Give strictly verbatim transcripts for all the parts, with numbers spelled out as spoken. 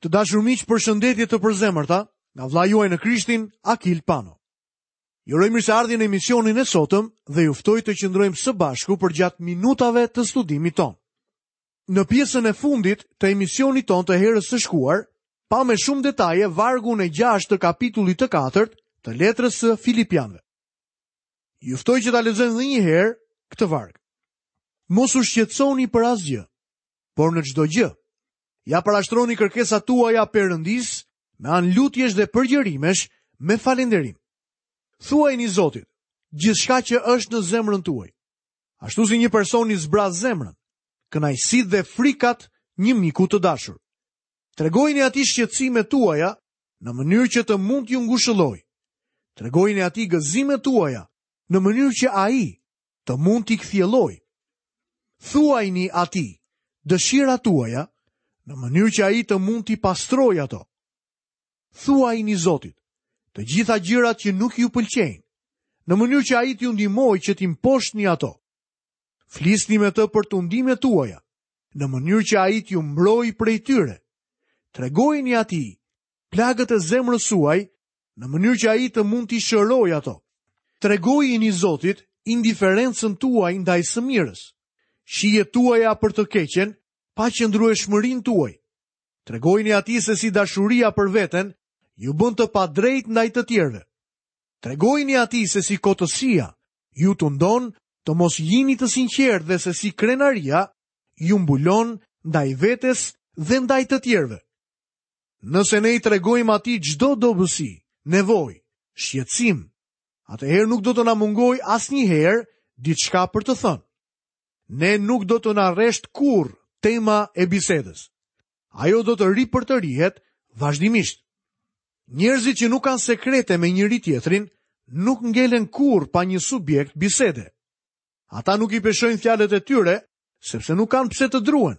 Të dashur miq, përshëndetje të përzemërta nga vëllai juaj në Krishtin, Akil Pano. Ju uroj mirëseardhjen në emisionin e sotëm dhe ju ftoj të qëndrojmë së bashku përgjatë minutave të studimit tonë. Në pjesën e fundit të emisionit tonë të herës së shkuar, pamë me shumë detaje vargun e gjashtë të kapitullit të katërt të letrës së Filipianëve. Ju ftoj që ta lexojmë edhe një herë këtë varg. Mos u shqetësoni për asgjë, por në çdo gjë ja parashtroni kërkesat tuaja Perëndisë me anë lutjesh dhe përgjërimesh me falënderim. Thuajini Zotit gjithçka që është në zemrën tuaj. Ashtu si një person i zbraz zemrën, kënaqësitë dhe frikat një miku të dashur. Tregojini atij shqetësimet tuaja në mënyrë që të mund t'ju ngushëllojë. Tregojini atij gëzimet tuaja në mënyrë që ai të mund t'i kthjellojë. Thuajini atij dëshirat tuaja në mënyrë që ai të mund t'i pastrojë ato. Thuajini Zotit të gjitha gjërat që nuk ju pëlqejnë, në mënyrë që ai t'ju ndihmojë që t'i mposhtni ato. Flisni me të për tundimet tuaja, në mënyrë që ai t'ju mbrojë prej tyre. Tregojini atij plagët e zemrës suaj, në mënyrë që ai të mund t'i shërojë ato. Tregojini Zotit indiferencën tuaj ndaj së mirës, shijet tuaja për të keqen, paqëndrueshmërinë tuaj. Tregojini atij se si dashuria për veten ju bën të padrejt ndaj të tjerëve. Tregojini atij se si kotësia ju tundon të mos jini të sinqertë dhe se si krenaria ju mbulon ndaj vetes dhe ndaj të tjerëve. Nëse ne i tregojmë atij çdo dobësi, nevojë, shqetësim, atëherë nuk do të na mungojë asnjëherë diçka për të thënë. Ne nuk do të na rresht kurrë tema e bisedës. Ajo do të ripërtërihet vazhdimisht. Njerëzit që nuk kanë sekrete me njëri tjetrin nuk ngelen kurrë pa një subjekt bisede. Ata nuk i peshojnë fjalët e tyre, sepse nuk kanë pse të druhen.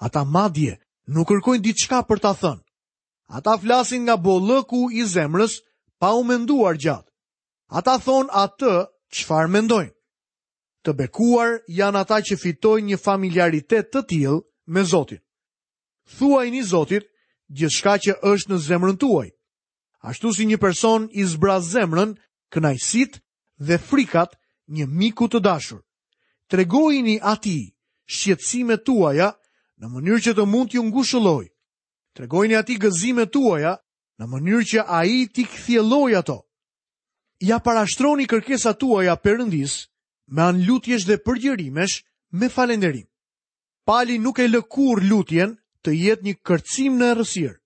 Ata madje nuk kërkojnë diçka për ta thënë. Ata flasin nga bollëku i zemrës pa u menduar gjatë. Ata thonë atë çfarë mendojnë. Të bekuar janë ata që fitojnë një familiaritet të tillë me Zotin. Thuajini Zotit gjithçka që është në zemrën tuaj. Ashtu si një person i zbraz zemrën, kënaqësitë dhe frikat një miku të dashur. Tregojini atij shqetësimet tuaja në mënyrë që të mund t'ju ngushëllojë. Tregojini atij gëzimet tuaja në mënyrë që ai t'i kthjellojë ato. Ja parashtroni kërkesat tuaja Perëndisë me anë lutjesh dhe përgjërimesh me falënderim. Pali nuk e lë kurrë lutjen të jetë një kërcim në errësirë.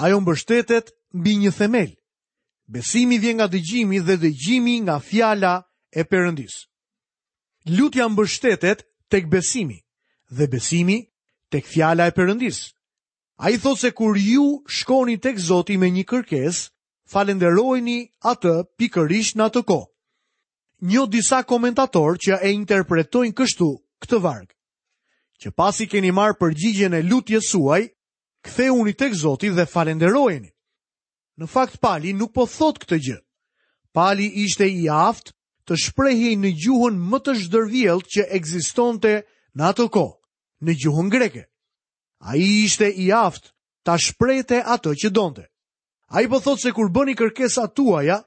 Ajo mbështetet mbi një themel. Besimi vjen nga dëgjimi dhe dëgjimi nga fjala e Perëndisë. Lutja mbështetet tek besimi dhe besimi tek fjala e Perëndisë. Ai thotë se kur ju shkoni tek Zoti me një kërkesë, falënderojeni atë pikërisht në atë kohë. Njoh disa komentatorë që e interpretojnë kështu këtë varg. Që pasi keni marrë përgjigjen e lutjes suaj, kthehuni tek Zoti dhe falënderojeni. Në fakt Pali nuk po thot këtë gjë. Pali ishte i aftë të shprehej në gjuhën më të zhdërvjelltë që ekzistonte në atë kohë, në gjuhën greke. Ai ishte i aftë ta shprehte atë që donte. Ai po thotë se kur bëni kërkesat tuaja,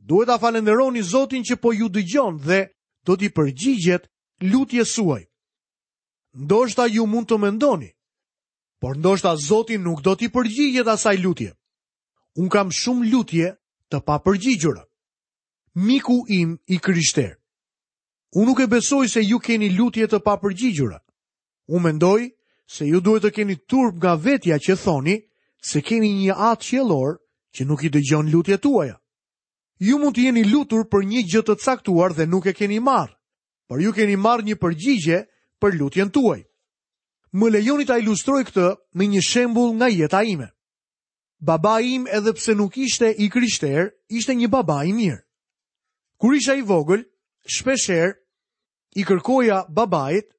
duhet ta falënderoni Zotin që po ju dëgjon dhe do t'i përgjigjet lutjes suaj. Ndoshta ju mund të mendoni, por ndoshta Zoti nuk do t'i përgjigjet asaj lutje. Unë kam shumë lutje të papërgjigjura. Miku im i krishter, unë nuk e besoj se ju keni lutje të papërgjigjura. Unë mendoj se ju duhet të keni turp nga vetja që thoni se keni një atë qiellor që nuk i dëgjon lutjet tuaja. Ju mund të jeni lutur për një gjë të caktuar dhe nuk e keni marrë, por ju keni marrë një përgjigje për lutjen tuaj. Më lejoni ta ilustroj këtë me një shembull nga jeta ime. Babai im, edhe pse nuk ishte i krishter, ishte një baba i mirë. Kur isha i vogël, shpeshherë i kërkoja babait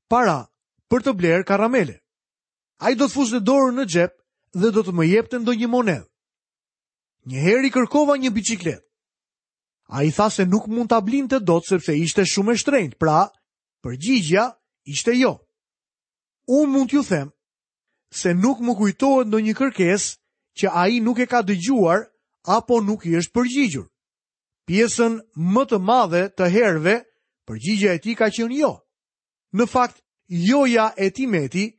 para për të blerë karamele. Ai do të fuste dorën në xhep dhe do të më jepte ndonjë monedhë. Një herë i kërkova një biçikletë. Ai tha se nuk mund ta blinte dot sepse ishte shumë e shtrenjtë, pra përgjigjja ishte jo. Unë mund t'ju them se nuk më kujtohet ndonjë kërkesë që ai nuk e ka dëgjuar apo nuk i është përgjigjur. Pjesën më të madhe të herëve, përgjigja e tij ka qenë jo. Në fakt, joja e timeti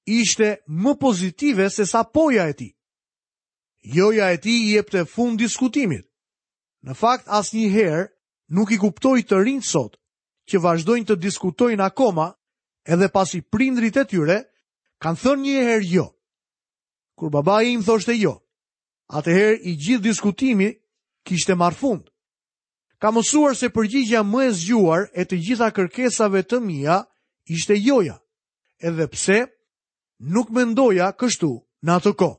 ishte më pozitive se sa poja e tij. Joja e tij i jepte fund diskutimit. Në fakt, asnjëherë nuk i kuptoj të rinjtë sot që vazhdojnë të diskutojnë akoma edhe pasi prindrit e tyre kanë thënë një herë jo. Kur babai im thoshte jo, atëherë i gjithë diskutimi kishte marrë fund. Kam mësuar se përgjigja më e zgjuar e të gjitha kërkesave të mia ishte joja, edhe pse nuk mendoja kështu në atë kohë.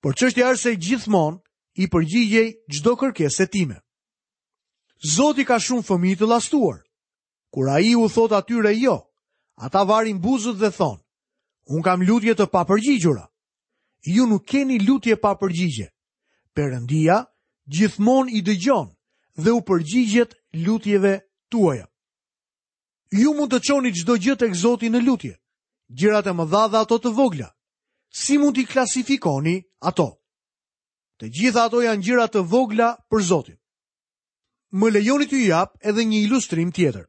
Por çështja është se gjithmonë i përgjigjej çdo kërkese time. Zoti ka shumë fëmijë të llastuar. Kur ai u thot atyre jo, ata varin buzët dhe thonë, unë kam lutje të papërgjigjura. Ju nuk keni lutje pa përgjigje. Perëndia gjithmonë i dëgjon dhe u përgjigjet lutjeve tuaja. Ju mund të çoni çdo gjë tek Zoti në lutje, gjërat e mëdha dhe ato të vogla. Si mund t'i klasifikoni ato? Të gjitha ato janë gjëra të vogla për Zotin. Më lejoni t'ju jap edhe një ilustrim tjetër.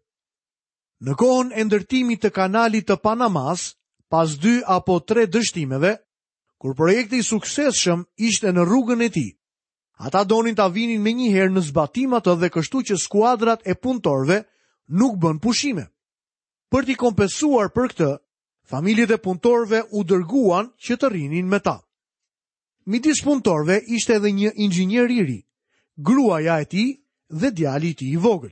Në kohën e ndërtimit të kanalit të Panamas, pas dy apo tre dështimeve, kur projekti i suksesshëm ishte në rrugën e tij, ata donin ta vinin menjëherë në zbatim atë dhe kështu që skuadrat e punëtorëve nuk bën pushime. Për t'i kompensuar për këtë, familjet e punëtorëve u dërguan që të rrinin me ta. Midis punëtorëve ishte edhe një inxhinier i ri, gruaja e tij dhe djali i tij i vogël.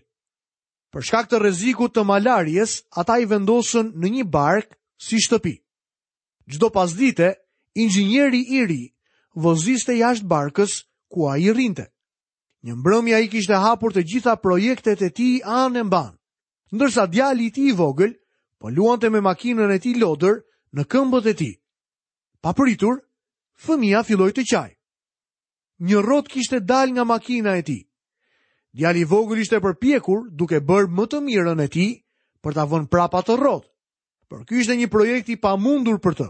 Për shkak të rrezikut të malarjes, ata i vendosën në një bark si shtëpi. Çdo pasdite, inxhinieri i ri voziste jashtë barkës ku ai rrinte. Një mbrëmje ai kishte hapur të gjitha projektet e tij anë e mban, ndërsa djali i tij i vogël po luante me makinën e tij lodër në këmbët e tij. Papritur, fëmia filloi të qaj. Një rrotë kishte dalë nga makina e tij. Djali i vogël ishte përpjekur duke bërë më të mirën e tij për ta vënë prapa atë rrotë. Por ky ishte një projekt i pamundur për të.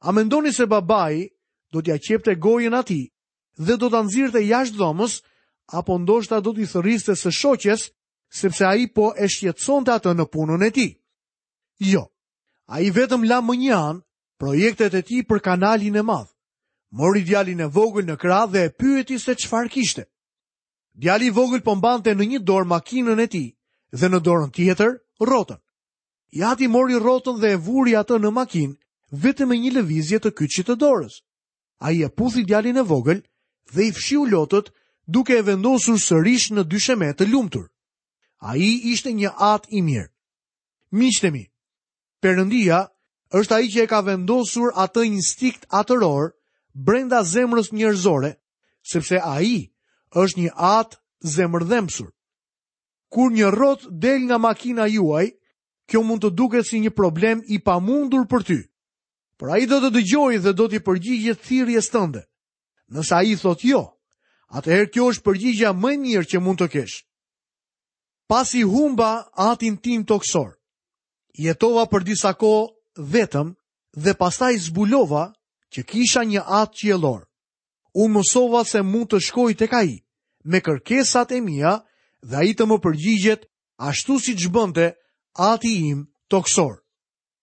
A mendoni se babai do t'ia qepte gojën atij dhe do ta nxirrte jashtë dhomës, apo ndoshta do t'i thërriste së shoqes, sepse ai po e shqetësonte atë në punën e tij? Jo. Ai vetëm la më një anë projektet e tij për kanalin e madh. Mori djalin e vogël në krah dhe e pyeti se çfarë kishte. Djali i vogël po mbante në një dorë makinën e tij dhe në dorën tjetër rrotën. I ati mori rrotën dhe e vuri atë në makinë vetëm me një lëvizje të kyçit të dorës. Ai e puthi djalin e vogël dhe i fshiu lotët duke e vendosur sërish në dysheme të lumtur. Ai ishte një at i mirë. Miqtë e mi, Perëndia është ai që e ka vendosur atë instinkt atëror brenda zemrës njerëzore, sepse ai është një at zemërdhembsur. Kur një rrotë del nga makina juaj, kjo mund të duket si një problem i pamundur për ty. Por ai do të dëgjojë dhe do t'i përgjigjet thirrjes tënde. Nëse ai thotë jo, atëherë kjo është përgjigja më e mirë që mund të kesh. Pasi humba atin tim toksor, jetova për disa kohë vetëm dhe pastaj zbulova që kisha një atë qiellor. Unë mësova se mund të shkoj tek ai me kërkesat e mia dhe ai të më përgjigjet ashtu siç bënte ati im toksor.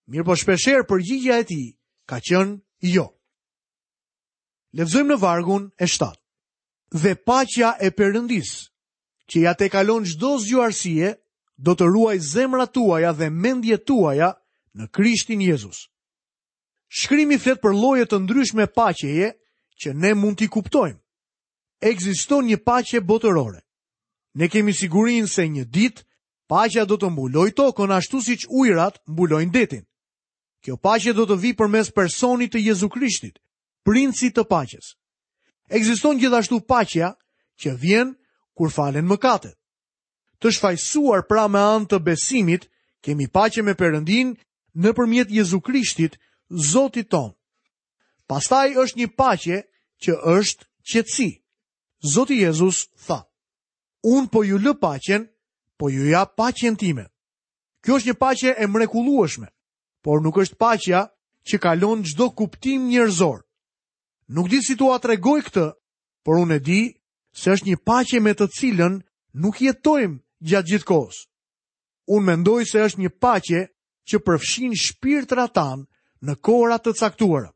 Mirë po shpeshherë përgjigja e tij ka qenë jo. Lexojmë në vargun e shtatë. Dhe paqja e Perëndisë, që ja tejkalon çdo zgjuarsie, do të ruaj zemrat tuaja dhe mendjet tuaja në Krishtin Jezus. Shkrimi flet për lloje të ndryshme paqeje që ne mund t'i kuptojmë. Ekziston një paqe botërore. Ne kemi sigurinë se një ditë paqja do të mbulojë tokën ashtu siç ujërat mbulojnë detin. Kjo paqe do të vijë përmes personit të Jezu Krishtit, princit të paqes. Ekziston gjithashtu paqja që vjen kur falen mëkatet. Të shfajsuar pra me anë të besimit, kemi paqe me Perëndin nëpërmjet Jezu Krishtit, Zotit ton. Pastaj është një paqe që është qetësi. Zoti Jezus tha: Unë po ju lë paqen, po ju jap paqen time. Kjo është një paqe e mrekullueshme, por nuk është paqja që kalon çdo kuptim njerëzor. Nuk di si t'ua tregoj këtë, por unë e di se është një paqe me të cilën nuk jetojmë gjatë gjithë kohës. Unë mendoj se është një paqe që përfshin shpirtrat tanë në kohëra të caktuara.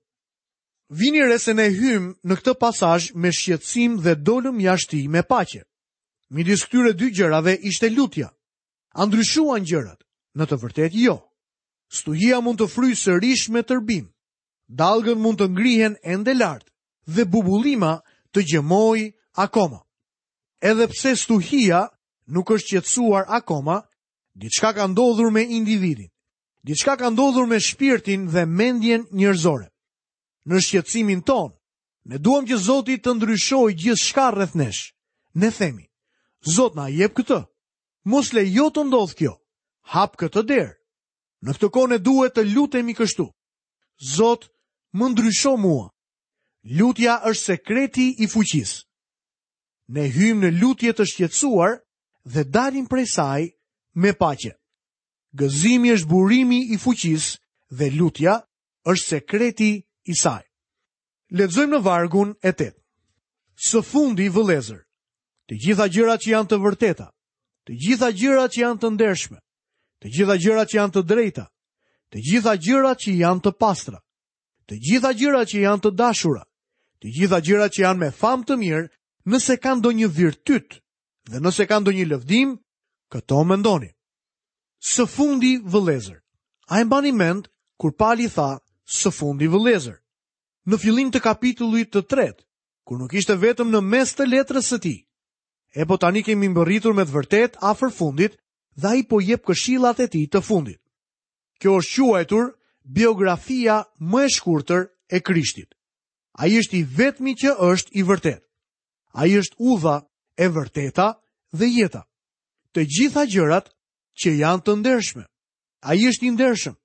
Vini re se ne hymë në këtë pasazh me shqetësim dhe dolëm jashtë tij me paqe. Midis këtyre dy gjërave ishte lutja. A ndryshuan gjërat? Në të vërtetë jo. Stuhia mund të fryjë sërish me tërbim. Dallgët mund të ngrihen ende lart dhe bubullima të gjëmojë akoma. Edhe pse stuhia nuk është qetësuar akoma, diçka ka ndodhur me individin. Diçka ka ndodhur me shpirtin dhe mendjen njerëzore. Në shqetësimin tonë, ne duam që Zoti të ndryshojë gjithçka rreth nesh. Ne themi: Zot, na jep këtë. Mos lejo të ndodh kjo. Hap këtë derë. Në këtë kohë ne duhet të lutemi kështu: Zot, më ndrysho mua. Lutja është sekreti i fuqisë. Ne hyjmë në lutje të shqetësuar dhe dalim prej saj me paqe. Gëzimi është burimi i fuqisë dhe lutja është sekreti i saj. Lexojmë në vargun e tetë. Së fundi, vëllezër, të gjitha gjërat që janë të vërteta, të gjitha gjërat që janë të ndershme, të gjitha gjërat që janë të drejta, të gjitha gjërat që janë të pastra, të gjitha gjërat që janë të dashura, të gjitha gjërat që janë me famë të mirë, nëse ka ndonjë virtyt dhe nëse ka ndonjë lëvdim, këto mendoni. Së fundi, vëllezër. A e mbani mend kur Pali tha së fundi, vëllezër? Në fillim të kapitullit të tretë, kur nuk ishte vetëm në mes të letrës së tij. E po tani kemi mbërritur me të vërtetë afër fundit dhe ai po jep këshillat e tij të fundit. Kjo është quajtur biografia më e shkurtër e Krishtit. Ai është i vetmi që është i vërtetë. Ai është udha e vërteta dhe jeta. Të gjitha gjërat që janë të ndershme. Ai është i ndershëm.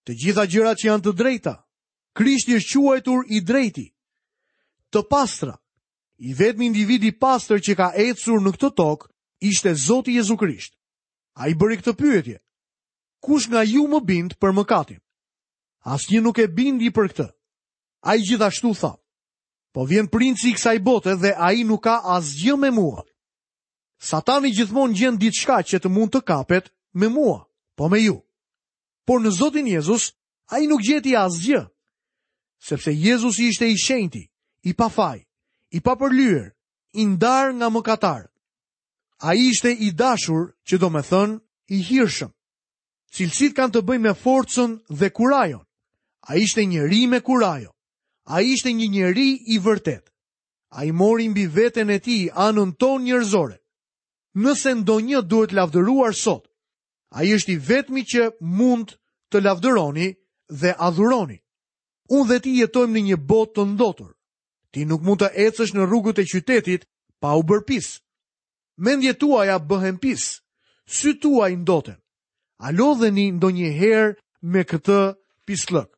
Të gjitha gjërat që janë të drejta. Krishti është quajtur i drejti. Të pastra. I vetmi individ i pastër që ka ecur në këtë tokë ishte Zoti Jezu Krisht. Ai bëri këtë pyetje: Kush nga ju më bind për mëkatin? Asnjë nuk e bindi për këtë. Ai gjithashtu tha: Po vjen princi i kësaj bote dhe ai nuk ka asgjë me mua. Satani gjithmonë gjen diçka që të mund të kapet me mua, po me ju. Por në Zotin Jezus, ai nuk gjeti asgjë, sepse Jezusi ishte i shenjti, i pafaj, i papërlyer, i ndarë nga mëkatarët. Ai ishte i dashur, që do me thënë, i hirshëm. Cilësitë kanë të bëjnë me forcën dhe kurajon. Ai ishte njeri me kurajo. Ai ishte një njeri i vërtet. Ai mori mbi veten e tij anën tonë njerëzore. Nëse ndonjë duhet lavdëruar sot, ai është i vetmi që mund të lavdëroni dhe adhuroni. Unë dhe ti jetojmë në një botë të ndotur. Ti nuk mund të ecësh në rrugët e qytetit pa u bërë pis. Mendjet tuaja bëhen pis, sytë tuaj ndoten. A lodheni ndonjëherë me këtë pisllëk?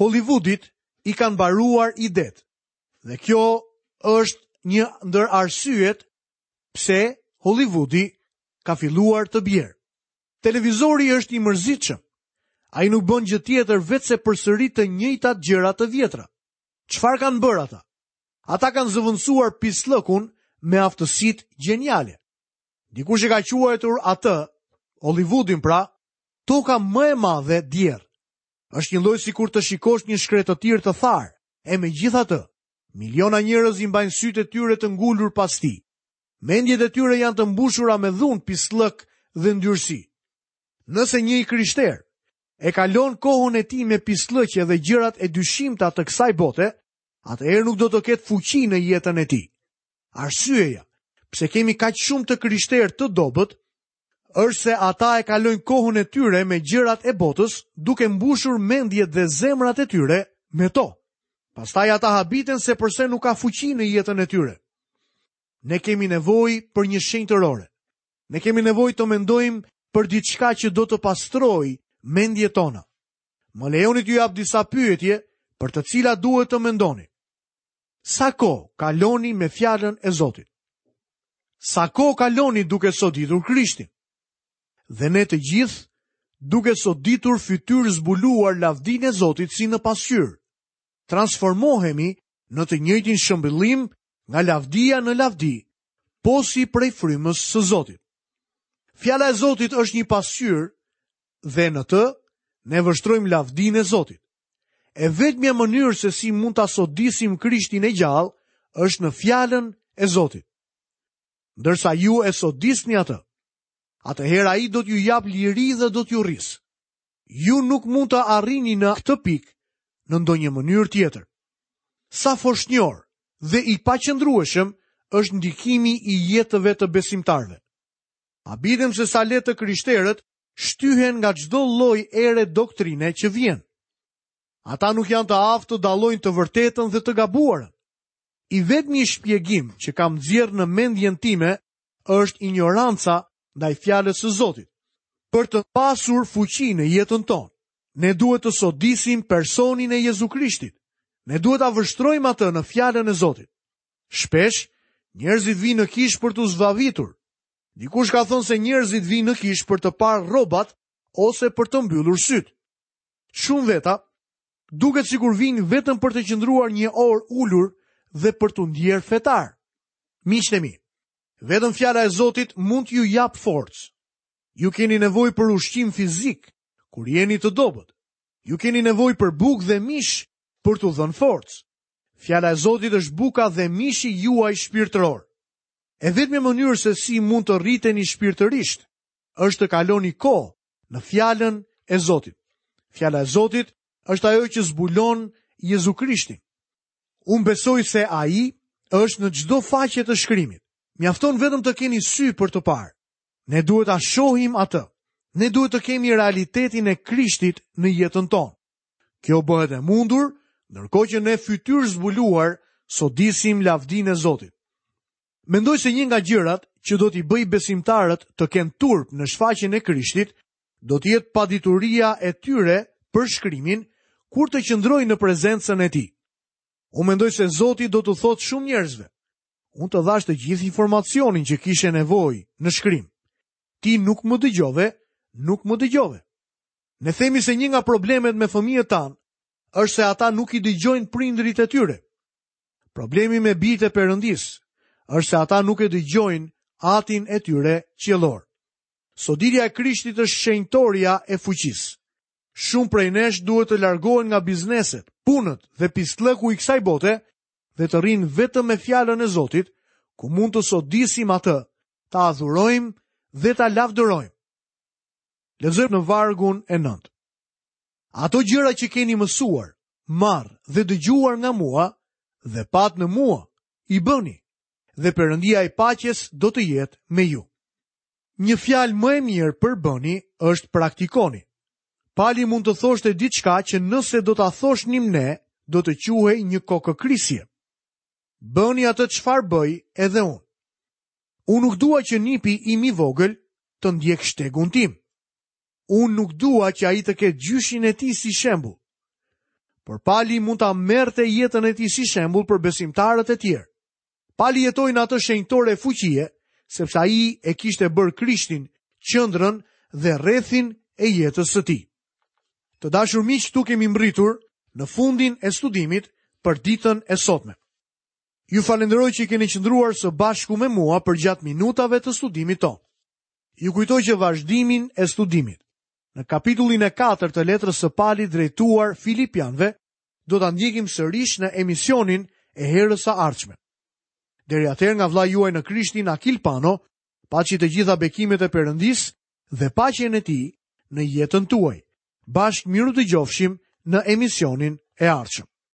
Hollywoodit i kanë mbaruar idet. Dhe kjo është një ndër arsyet pse Hollywoodi ka filluar të bjerë. Televizori është i mërzitshëm. Ai nuk bën gjë tjetër veçse përsërit të njëjtat gjëra të vjetra. Çfarë kanë bërë ata? Ata kanë zëvendësuar pisllëkun me aftësitë gjeniale. Dikush e ka quajtur atë, Hollywoodin pra, toka më e madhe djerr. Është një lloj sikur të shikosh një shkretëtirë të tharë, e megjithatë, miliona njerëz i mbajnë sytë e tyre të ngulur pas tij. Mendjet e tyre janë të mbushura me dhunë, pisllëk dhe ndyrësi. Nëse një i krishter e kalon kohën e tij me pisllëqe dhe gjërat e dyshimta të kësaj bote, atëherë nuk do të ketë fuqi në jetën e tij. Arsyeja pse kemi kaq shumë të krishterë të dobët është se ata e kalojnë kohën e tyre me gjërat e botës, duke mbushur mendjet dhe zemrat e tyre me to. Pastaj ata habiten se përse nuk ka fuqi në jetën e tyre. Ne kemi nevojë për një shenjtërore. Ne kemi nevojë të mendojmë për diçka që do të pastrojë mendjet tona. Më lejoni t'ju jap disa pyetje për të cilat duhet të mendoni. Sa kohë kaloni me fjalën e Zotit? Sa kohë kaloni duke soditur Krishtin? Dhe ne të gjithë duke soditur fytyrë zbuluar lavdinë e Zotit si në pasqyrë, transformohemi në të njëjtin shëmbëllim nga lavdia në lavdi, posi prej frymës së Zotit. Fjala e Zotit është një pasqyrë dhe në të ne vështrojmë lavdinë e Zotit. E vetmja mënyrë se si mund ta sodisim Krishtin e gjallë është në fjalën e Zotit. Ndërsa ju e sodisni atë, atëherë ai do t'ju jap liri dhe do t'ju rrisë. Ju nuk mund të arrini në këtë pikë në ndonjë mënyrë tjetër. Sa foshnjor dhe i paqëndrueshëm është ndikimi i jetëve të besimtarëve. Habitem se sa lehtë të krishterët shtyhen nga çdo lloj ere doktrine që vjen. Ata nuk janë të aftë të dallojnë të vërtetën dhe të gabuarën. I vetmi shpjegim që kam nxjerrë në mendjen time është ignoranca ndaj fjalës së Zotit. Për të pasur fuqi në jetën tonë, ne duhet të sodisim personin e Jezu Krishtit. Ne duhet ta vështrojmë atë në fjalën e Zotit. Shpesh, njerëzit vinë në kishë për t'u zbavitur. Dikush ka thënë se njerëzit vinë në kishë për të parë rrobat ose për të mbyllur syt. Shumë veta duket sikur vinë vetëm për të qëndruar një orë ulur dhe për t'u ndjerë fetar. Miqtë e mi, vetëm fjala e Zotit mund t'ju jap forcë. Ju keni nevojë për ushqim fizik kur jeni të dobët. Ju keni nevojë për bukë dhe mish për t'u dhënë forcë. Fjala e Zotit është buka dhe mishi juaj shpirtëror. E vetmja mënyrë se si mund të rriteni shpirtërisht është të kaloni kohë në fjalën e Zotit. Fjala e Zotit është ajo që zbulon Jezu Krishtin. Unë besoj se ai është në çdo faqe të shkrimit. Mjafton vetëm të keni sy për të parë. Ne duhet ta shohim atë. Ne duhet të kemi realitetin e Krishtit në jetën tonë. Kjo bëhet e mundur ndërkohë që ne fytyrë zbuluar sodisim lavdinë e Zotit. Mendoj se një nga gjërat që do t'i bëj besimtarët të kenë turp në shfaqjen e Krishtit, do të jetë padituria e tyre për shkrimin kur të qëndrojnë në prezencën e tij. Unë mendoj se Zoti do t'u thotë shumë njerëzve: unë të dhash të gjithë informacionin që kishe nevojë në shkrim. Ti nuk më dëgjove, nuk më dëgjove. Ne themi se një nga problemet me fëmijët tanë është se ata nuk i dëgjojnë prindërit e tyre. Problemi me bijtë e Perëndisë është se ata nuk e dëgjojnë atin e tyre qiellor. Soditja e Krishtit është shenjtoria e fuqisë. Shumë prej nesh duhet të largohen nga bizneset, punët dhe pisllëku i kësaj bote dhe të rrinë vetëm me fjalën e Zotit, ku mund të sodisim atë, ta adhurojmë dhe ta lavdërojmë. Lexojmë në vargun e nëntë. Ato gjëra që keni mësuar, marrë dhe dëgjuar nga mua dhe pat në mua, i bëni, dhe Perëndia e paqes do të jetë me ju. Një fjalë më e mirë për bëni është praktikoni. Pali mund të thoshte diçka që nëse do ta thoshnim ne, do të quhej një kokëkrisje. Bëni atë çfarë bëj edhe unë. Unë nuk dua që nipi im i vogël të ndjek shtegun tim. Unë nuk dua që ai të ketë gjyshin e tij si shembull. Por Pali mund ta merrte jetën e tij si shembull për besimtarët e tjerë. Pali jetoi në atë shenjtore fuqie, sepse ai e kishte bërë Krishtin qendrën dhe rrethin e jetës së tij. Të dashur miq, këtu kemi mbërritur në fundin e studimit për ditën e sotme. Ju falenderoj që keni qëndruar së bashku me mua përgjatë minutave të studimit tonë. Ju kujtoj që vazhdimin e studimit në kapitullin e katërt të letrës së Palit drejtuar Filipianëve do ta ndjekim sërish në emisionin e herës së ardhshme. Deri atëherë nga vëllai juaj në Krishtin Akil Pano, paçi të gjitha bekimet e Perëndisë dhe paqen e tij në jetën tuaj. Bashkë miru dëgjofshim në emisionin e ardhshëm.